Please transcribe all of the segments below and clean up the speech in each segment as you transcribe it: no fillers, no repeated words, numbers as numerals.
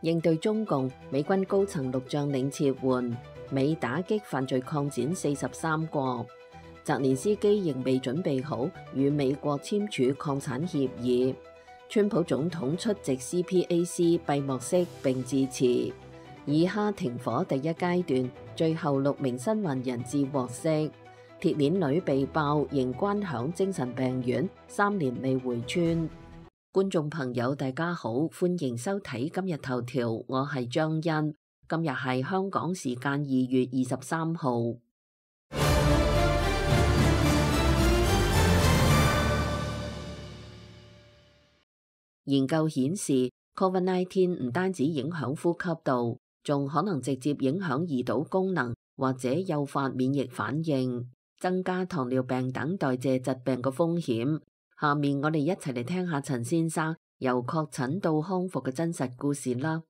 應對中共，美軍高層6將領撤換，美打擊犯罪擴展43國。澤連斯基仍未準備好與美國簽署擴產協議。川普總統出席 CPAC 閉幕式並致辭。以哈停火第一階段，最後6名生還人質獲釋。鐵鏈女被爆仍關響精神病院，3年未回村。觀眾朋友大家好，歡迎收睇今日頭條，我係張欣。今日係香港時間2月23號。研究顯示 ，COVID-19 唔單止影響呼吸道，仲可能直接影響胰島功能，或者誘發免疫反應，增加糖尿病等代謝疾病嘅風險。下面我哋一齊嚟聽下陳先生由確診到康復嘅真實故事啦。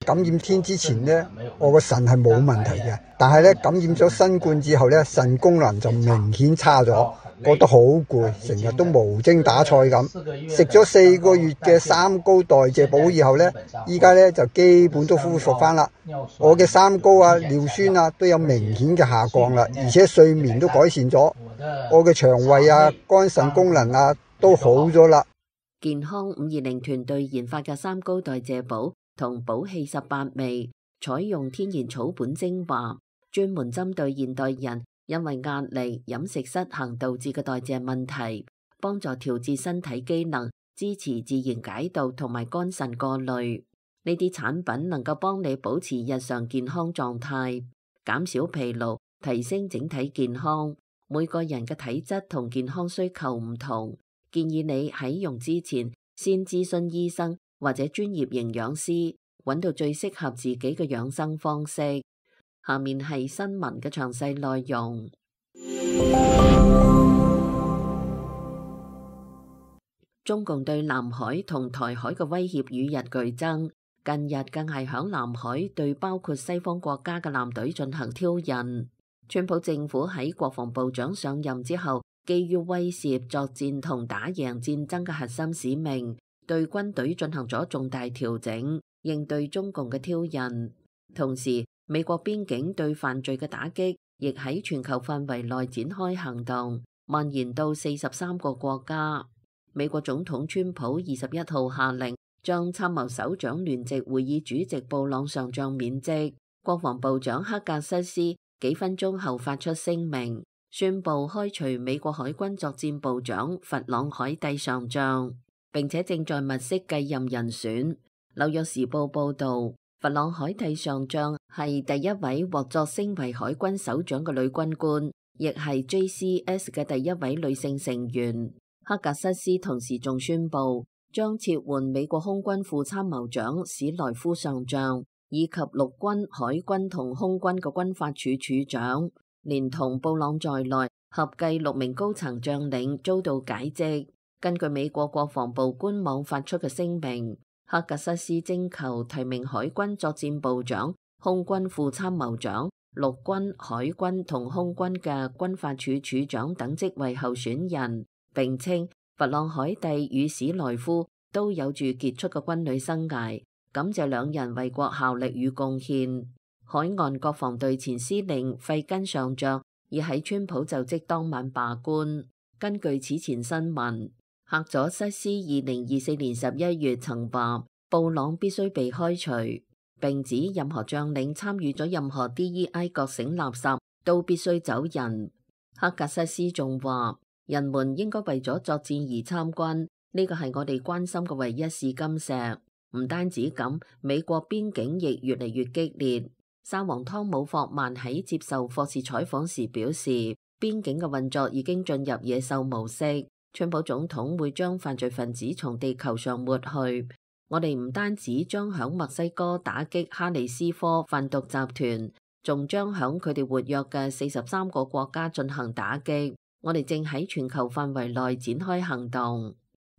感染天之前呢，我個腎係冇問題嘅，但係咧感染咗新冠之後咧，腎功能就明顯差咗，覺得好攰，成日都無精打采咁。食咗4個月嘅三高代謝補以後咧，依家咧就基本都恢復翻啦。我嘅三高啊、尿酸啊都有明顯嘅下降啦，而且睡眠都改善咗，我嘅腸胃啊、肝腎功能啊都好咗啦。健康520團隊研發嘅三高代謝補同補氣18味，採用天然草本精華，專門針對現代人因為壓力、飲食失衡導致嘅代謝問題，幫助調節身體機能，支持自然解毒同埋肝腎過濾。呢啲產品能夠幫你保持日常健康狀態，減少疲勞，提升整體健康。每個人嘅體質同健康需求唔同，建議你喺用之前先諮詢醫生或者專業營養師，揾到最適合自己嘅養生方式。下面係新聞嘅詳細內容。中共對南海同台海嘅威脅與日俱增，近日更係響南海對包括西方國家嘅艦隊進行挑釁。川普政府喺國防部長上任之後，基於威懾作戰同打贏戰爭嘅核心使命，對軍隊進行咗重大調整，應對中共嘅挑釁。同時，美國邊境對犯罪嘅打擊亦喺全球範圍內展開行動，蔓延到43個國家。美國總統川普21號下令將參謀首長聯席會議主席布朗上將免職，國防部長克格瑟斯幾分鐘後發出聲明，宣布開除美國海軍作戰部長弗朗海蒂上將，並且正在物色繼任人選。紐約時報報道，弗朗海蒂上將係第一位獲擢升為海軍首長嘅女軍官，亦係 JCS 嘅第一位女性成員。克格瑟斯同時仲宣布將撤換美國空軍副參謀長史萊夫上將，以及陸軍、海軍同空軍嘅軍法處處長，連同布朗在內，合計6名高層將領遭到解職。根據美國國防部官網發出嘅聲明，克格瑟斯徵求提名海軍作戰部長、空軍副參謀長、陸軍、海軍同空軍嘅軍法處處長等職位候選人，並稱弗朗海蒂與史萊夫都有住傑出嘅軍旅生涯，感謝兩人為國效力與貢獻。海岸國防隊前司令費根上將已喺川普就職當晚罷官。根據此前新聞，赫佐瑟斯2024年11月曾話布朗必須被開除，並指任何將領參與咗任何 DEI 覺醒垃圾都必須走人。赫格瑟斯仲話，人們應該為咗作戰而參軍，呢個係我哋關心嘅唯一試金石。唔單止咁，美國邊境亦越嚟越激烈。沙皇湯姆霍曼喺接受霍士採訪時表示，邊境嘅運作已經進入野獸模式。川普總統會將犯罪分子從地球上抹去。我哋唔單止將響墨西哥打擊哈里斯科販毒集團，仲將響佢哋活躍嘅43個國家進行打擊。我哋正喺全球範圍內展開行動。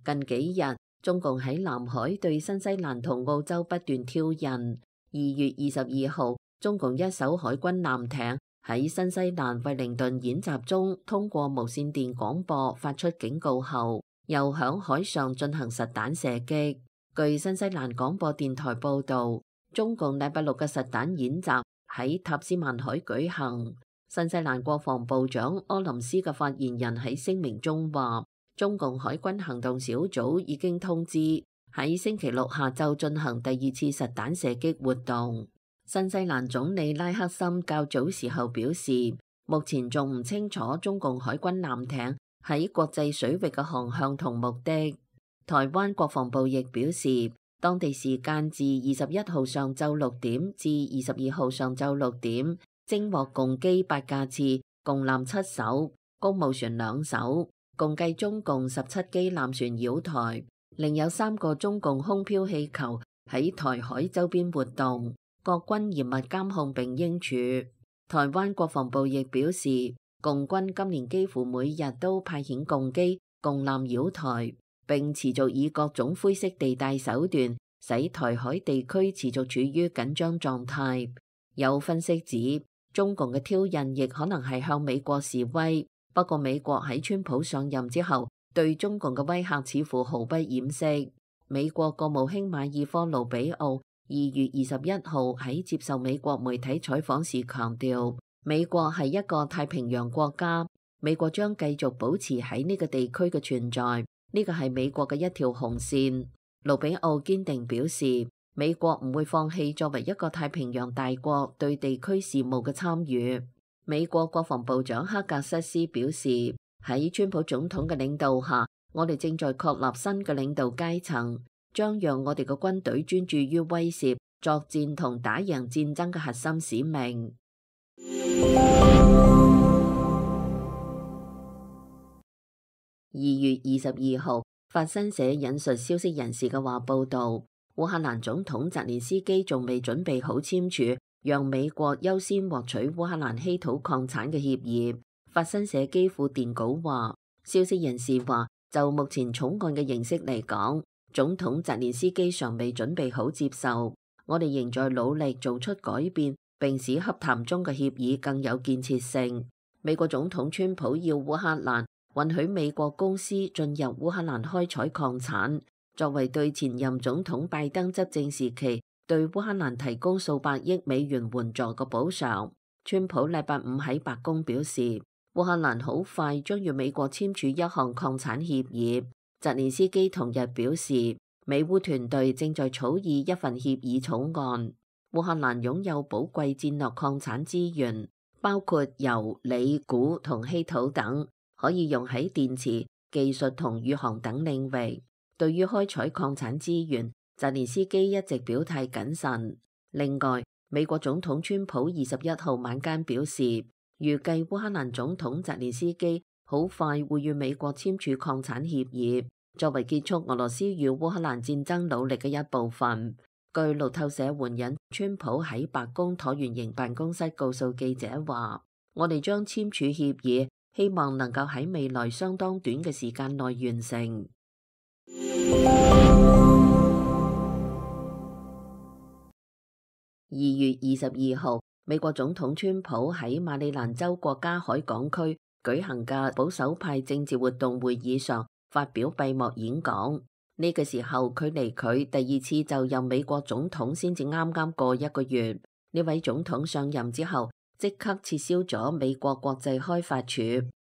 近幾日，中共喺南海對新西蘭同澳洲不斷挑釁。2月22號，中共一艘海軍艦艇喺新西蘭惠靈頓演習中通過無線電廣播發出警告後，又響海上進行實彈射擊。據新西蘭廣播電台報導，中共禮拜六嘅實彈演習喺塔斯曼海舉行。新西蘭國防部長柯林斯嘅發言人喺聲明中話，中共海軍行動小組已經通知喺星期六下晝進行第二次實彈射擊活動。新西蘭總理拉克森較早時候表示，目前仲唔清楚中共海軍艦艇喺國際水域嘅航向同目的。台灣國防部亦表示，當地時間自21號上晝6點至22號上晝6點，偵獲共機8架次，共艦7艘，公務船2艘，共計中共17機艦船繞台，另有3個中共空飄氣球喺台海周邊活動，國軍嚴密監控並應處。台灣國防部亦表示，共軍今年幾乎每日都派遣共機、共艦繞台，並持續以各種灰色地帶手段，使台海地區持續處於緊張狀態。有分析指，中共嘅挑釁亦可能係向美國示威。不過美國喺川普上任之後，對中共嘅威嚇似乎毫不掩飾。美國國務卿馬爾科盧比奧2月21號喺接受美國媒體採訪時強調，美國係一個太平洋國家，美國將繼續保持喺呢個地區嘅存在。呢個係美國嘅一條紅線。盧比奧堅定表示，美國唔會放棄作為一個太平洋大國對地區事務嘅參與。美國國防部長克格瑟斯表示，喺川普總統嘅領導下，我哋正在確立新嘅領導階層，將讓我哋嘅軍隊專注於威懾、作戰同打贏戰爭嘅核心使命。2月22號，法新社引述消息人士嘅話報道，烏克蘭總統澤連斯基仲未準備好簽署讓美國優先獲取烏克蘭稀土礦產嘅協議。法新社基輔電稿話，消息人士話，就目前草案嘅形式嚟講，總統澤連斯基尚未準備好接受。我哋仍在努力做出改變，並使洽談中嘅協議更有建設性。美國總統川普要烏克蘭允許美國公司進入烏克蘭開採礦產，作為對前任總統拜登執政時期對烏克蘭提供數百億美元援助嘅補償。川普禮拜五喺白宮表示，烏克蘭好快將與美國簽署一項礦產協議。澤連斯基同日表示，美烏團隊正在草擬一份協議草案。烏克蘭擁有寶貴戰略礦產資源，包括鈾、鋰、鈷同稀土等，可以用喺電池、技術同宇航等領域。對於開採礦產資源，澤連斯基一直表態謹慎。另外，美國總統川普21號晚間表示，預計烏克蘭總統澤連斯基好快會與美國簽署礦產協議，作為結束俄羅斯與烏克蘭戰爭努力嘅一部分。據路透社援引川普喺白宮橢圓形辦公室告訴記者話，我哋將簽署協議，希望能夠喺未來相當短嘅時間內完成。2月22號，美國總統川普喺馬里蘭州國家海港區舉行嘅保守派政治活動會議上發表閉幕演講。呢個時候，距離佢第二次就任美國總統先至啱啱過一個月。呢位總統上任之後，即刻撤銷咗美國國際開發署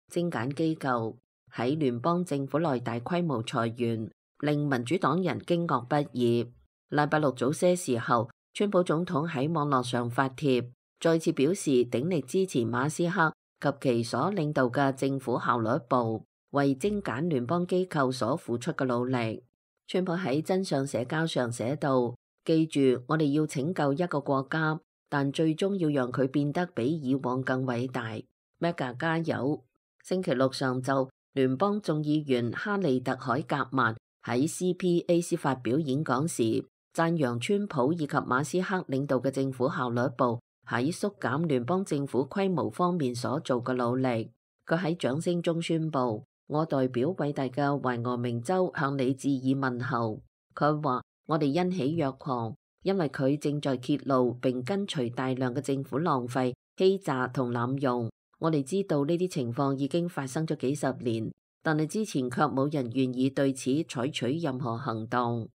精簡機構，喺聯邦政府內大規模裁員，令民主黨人驚愕不已。禮拜六早些時候，川普總統喺網絡上發帖，再次表示鼎力支持馬斯克及其所領導嘅政府效率部為精簡聯邦機構所付出嘅努力。川普喺真相社交上寫道：記住，我哋要拯救一個國家，但最終要讓佢變得比以往更偉大。Mega 加油！星期六上晝，聯邦眾議員哈利特海格曼喺 CPAC 發表演講時，讚揚川普以及馬斯克領導嘅政府效率部喺縮減聯邦政府規模方面所做嘅努力。佢喺掌聲中宣布：我代表偉大嘅懷俄明州向你致以問候。佢話：我哋欣喜若狂，因為佢正在揭露並跟隨大量嘅政府浪費、欺詐同濫用。我哋知道呢啲情況已經發生咗幾十年，但係之前卻冇人願意對此採取任何行動。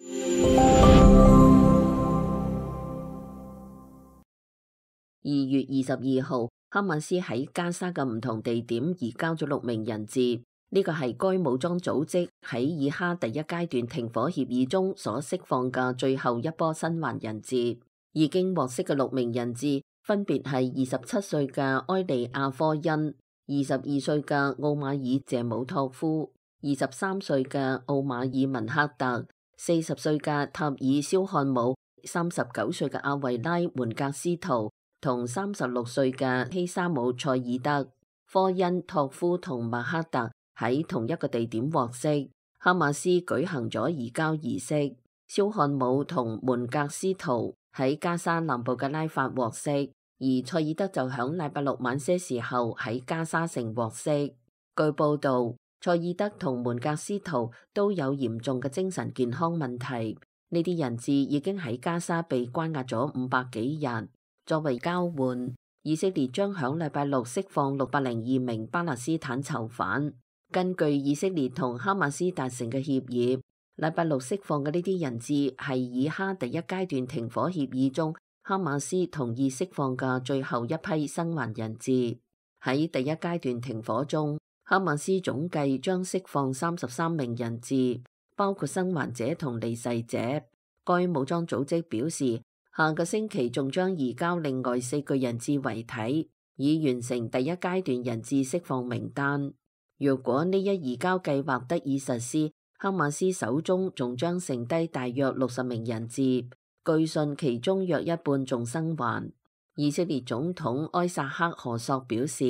2月22號，哈馬斯喺加沙嘅唔同地點移交咗6名人質，呢個係該武裝組織喺以哈第一階段停火協議中所釋放嘅最後一波生還人質。已經獲釋嘅6名人質分別係27歲嘅埃利亞科恩、22歲嘅奧馬爾謝姆托夫、23歲嘅奧馬爾文克特、40歲嘅塔爾肖漢姆、39歲嘅阿維拉門格斯圖同36歲嘅希沙姆塞爾德。科恩、托夫同麥克特喺同一個地點獲釋，哈馬斯舉行咗移交儀式。肖漢姆同門格斯圖喺加沙南部嘅拉法獲釋，而塞爾德就響禮拜六晚些時候喺加沙城獲釋。據報道，塞爾德同門格斯圖都有嚴重嘅精神健康問題。呢啲人質已經喺加沙被關押咗500幾日。作為交換，以色列將響禮拜六釋放602名巴勒斯坦囚犯。根據以色列同哈馬斯達成嘅協議，禮拜六釋放嘅呢啲人質係以哈第一階段停火協議中哈馬斯同意釋放嘅最後一批生還人質。喺第一階段停火中，哈馬斯總計將釋放33名人質，包括生還者同離世者。該武裝組織表示，下個星期仲將移交另外4具人質遺體，以完成第一階段人質釋放名單。若果呢一移交計劃得以實施，哈馬斯手中仲將剩低大約60名人質，據信其中約一半仲生還。以色列總統埃薩克何索表示，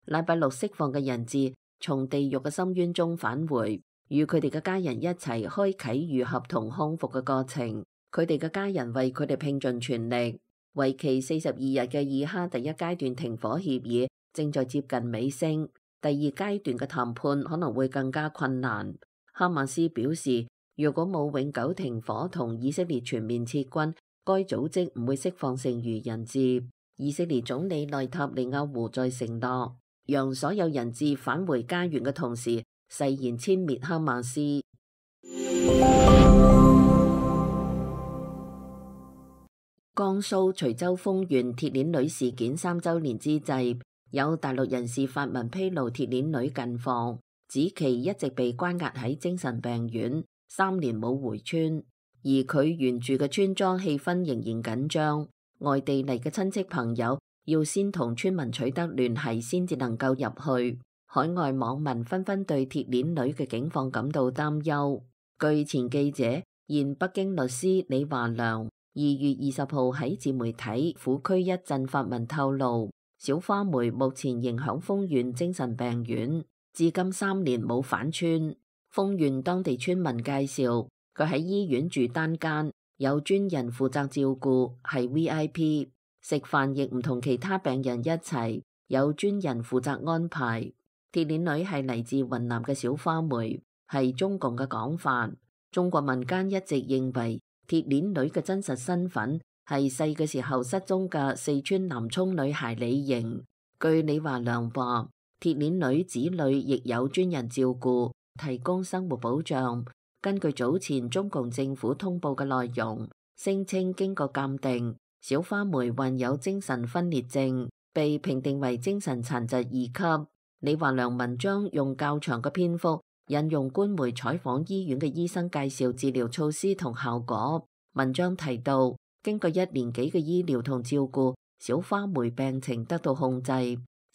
禮拜六釋放嘅人質從地獄嘅深淵中返回，與佢哋嘅家人一齊開啟愈合同康復嘅過程。佢哋嘅家人為佢哋拼盡全力。為期42日嘅以哈第一階段停火協議正在接近尾聲，第二階段嘅談判可能會更加困難。哈馬斯表示，如果冇永久停火同以色列全面撤軍，該組織唔會釋放剩餘人質。以色列總理內塔尼亞胡在承諾讓所有人質返回家園嘅同時，誓言殲滅哈馬斯。江蘇徐州豐縣鐵鏈女事件3週年之際，有大陸人士發文披露鐵鏈女近況，指其一直被關押喺精神病院3年冇回村，而佢原住嘅村莊氣氛仍然緊張，外地嚟嘅親戚朋友要先同村民取得聯繫先至能夠入去。海外網民紛紛對鐵鏈女嘅境況感到擔憂。據前記者、現北京律師李華良2月20號喺自媒體虎區一鎮發文透露，小花梅目前仍響豐縣精神病院，至今3年冇返村。豐縣當地村民介紹，佢喺醫院住單間，有專人負責照顧，係 VIP， 食飯亦唔同其他病人一齊，有專人負責安排。鐵鏈女係嚟自雲南嘅小花梅，係中共嘅講法。中國民間一直認為鐵鏈女嘅真實身份係細嘅時候失蹤嘅四川南充女孩李瑩。據李華良話，鐵鏈女子女亦有專人照顧，提供生活保障。根據早前中共政府通報嘅內容，聲稱經過鑑定，小花梅患有精神分裂症，被評定為精神殘疾2級。李華良文章用較長嘅篇幅引用官媒採訪醫院嘅醫生介紹治療措施同效果。文章提到，經過1年幾嘅醫療同照顧，小花梅病情得到控制，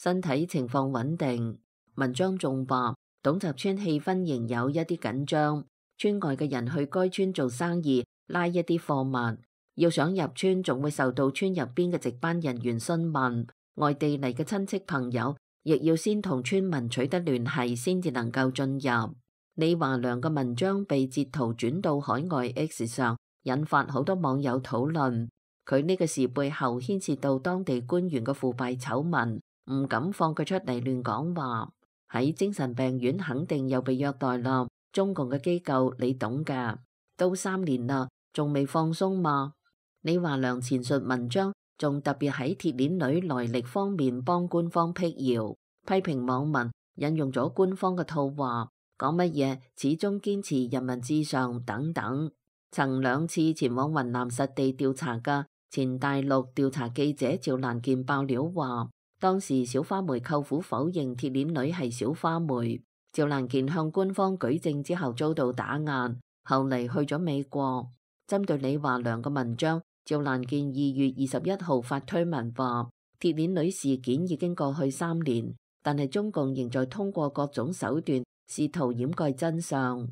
身體情況穩定。文章仲話，董集村氣氛仍有一啲緊張，村外嘅人去該村做生意，拉一啲貨物，要想入村仲會受到村入邊嘅值班人員詢問。外地嚟嘅親戚朋友亦要先同村民取得聯繫先至能夠進入。李華良嘅文章被截圖轉到海外 X 上，引發好多網友討論。佢呢個事背後牽涉到當地官員嘅腐敗醜聞，唔敢放佢出嚟亂講話。喺精神病院肯定又被虐待啦，中共嘅機構你懂㗎，都3年啦，仲未放鬆嘛？李華良前述文章仲特別喺鐵鏈女來歷方面幫官方辟謠，批評網民引用咗官方嘅套話，講乜嘢始終堅持人民至上等等。曾2次前往雲南實地調查嘅前大陸調查記者趙蘭健爆料話，當時小花梅舅父否認鐵鏈女係小花梅。趙蘭健向官方舉證之後遭到打壓，後嚟去咗美國。針對李華良嘅文章，趙蘭健2月21號發推文話，鐵鏈女事件已經過去3年，但係中共仍在通過各種手段試圖掩蓋真相。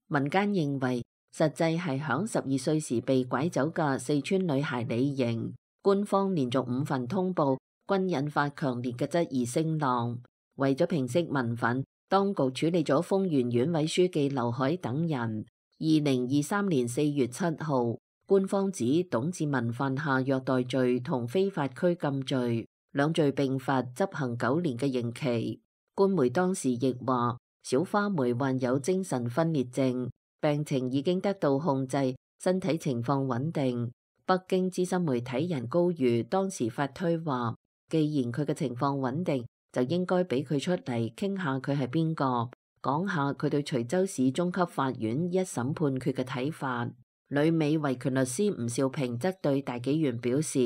民間認為實際係響12歲時被拐走嘅四川女孩李瑩，官方連續5份通報均引發強烈嘅質疑聲浪。為咗平息民憤，當局處理咗豐原縣委書記劉海等人。2023年4月7號，官方指董志文犯下虐待罪同非法拘禁罪2罪並罰，執行9年嘅刑期。官媒當時亦話，小花梅患有精神分裂症，病情已經得到控制，身體情況穩定。北京資深媒體人高瑜當時發推話，既然佢嘅情況穩定，就應該俾佢出嚟傾下佢係邊個，講下佢對徐州市中級法院一審判決嘅睇法。旅美維權律師吳兆平則對大紀元表示，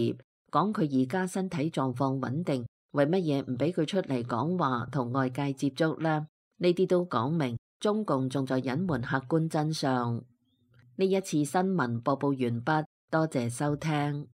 講佢而家身體狀況穩定，為乜嘢唔俾佢出嚟講話同外界接觸呢？呢啲都講明中共仲在隱瞞客觀真相。呢一次新聞播報完畢，多謝收聽。